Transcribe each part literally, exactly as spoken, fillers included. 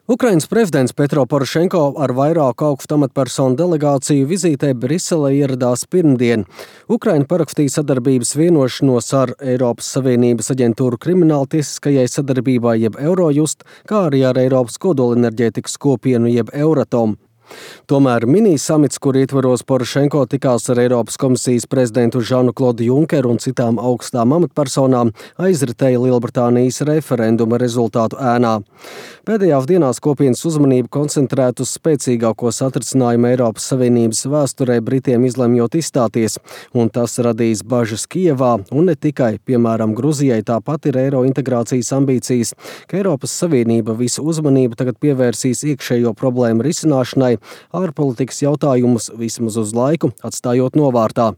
Ukrainas prezidents Petro Porošenko ar vairāku augstu amatpersonu delegāciju vizītē Briselē ieradās pirmdien. Ukraina parakstīja sadarbības vienošanos ar Eiropas Savienības aģentūru krimināltiesiskajai sadarbībai jeb Eurojust, kā arī ar Eiropas kodolenerģētikas kopienu jeb Euratom. Tomēr mini-samits, kur ietvaros Porošenko tikās ar Eiropas komisijas prezidentu Žanu-Klodu Junkeru un citām augstām amatpersonām, aizritēja Lielbritānijas referenduma rezultātu ēnā. Pēdējās dienās kopienas uzmanību koncentrēt uz spēcīgāko satricinājumu Eiropas Savienības vēsturē Britiem izlemjot izstāties, un tas radīs bažas Kijevā, un ne tikai, piemēram, Gruzijai tāpat ir eiro integrācijas ambīcijas, ka Eiropas Savienība visu uzmanību tagad pievērsīs iekšējo problēmu risināšanai, ārpolitikas jautājumus vismaz uz laiku atstājot novārtā.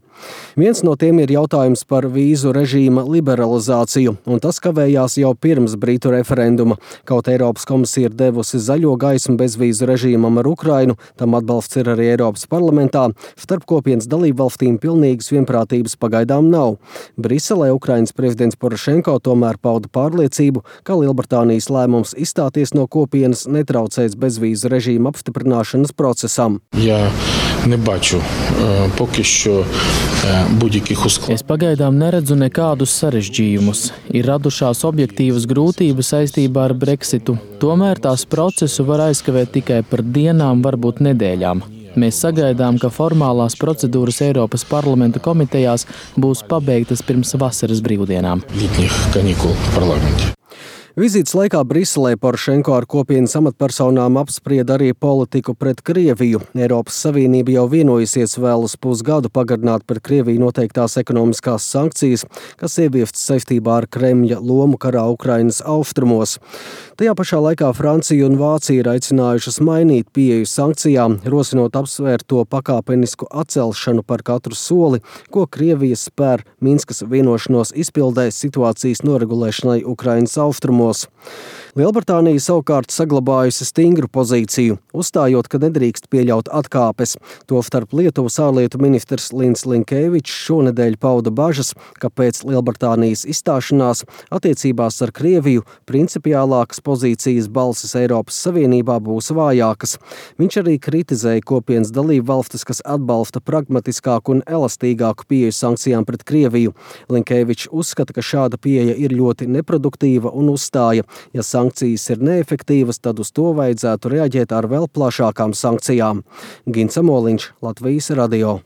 Viens no tiem ir jautājums par vīzu režīma liberalizāciju, un tas kavējās jau pirms Britu referenduma. Kaut Eiropas komisija ir devusi zaļo gaismu bezvīzu režīmam ar Ukrainu, tam atbalsts ir arī Eiropas parlamentā, starp kopienas dalībvalstīm pilnīgas vienprātības pagaidām nav. Briselē Ukrainas prezidents Porošenko tomēr pauda pārliecību, ka Lielbritānijas lēmums izstāties no kopienas netraucēs bezvīzu režīma apstiprināšanas procesam. Я не бачу поки що будь-яких ускладнень. Es pagaidām neredzu nekādus sarežģījumus. Ir radušās objektīvas grūtības saistībā ar Brexitu. Tomēr tās procesu var aizkavēt tikai par dienām, varbūt nedēļām. Mēs sagaidām, ka formālās procedūras Eiropas parlamenta komitejās būs pabeigtas pirms vasaras brīvdienām. Літніх канікул в парламенті. Vizītes laikā Briselē Porošenko ar kopienas amatpersonām apsprieda arī politiku pret Krieviju. Eiropas Savienība jau vienojusies vēl uz pusgadu pagarināt pret Krieviju noteiktās ekonomiskās sankcijas, kas ieviestas saistībā ar Kremļa lomu karā Ukrainas austrumos. Tajā pašā laikā Francija un Vācija ir aicinājušas mainīt pieeju sankcijām, rosinot apsvērt to pakāpenisku atcelšanu par katru soli, ko Krievija spēr Minskas vienošanos izpildē situācijas noregulēšanai Ukrainas austrumos. Lielbritānija savukārt saglabājusi stingru pozīciju, uzstājot, ka nedrīkst pieļaut atkāpes. Tostarp Lietuvas ārlietu ministrs Lins Linkevičs šonedēļ pauda bažas, ka pēc Lielbritānijas izstāšanās attiecībās ar Krieviju principiālākas pozīcijas balsis Eiropas Savienībā būs vājākas. Viņš arī kritizēja kopienas dalību valstis, kas atbalsta pragmatiskāku un elastīgāku pieeju sankcijām pret Krieviju. Linkevičs uzskata, ka šāda pieeja ir ļoti neproduktīva un uzstāja, ja sankcijas ir neefektīvas, tad uz to vajadzētu reaģēt ar vēl plašākām sankcijām. Gins Amoliņš, Latvijas radio.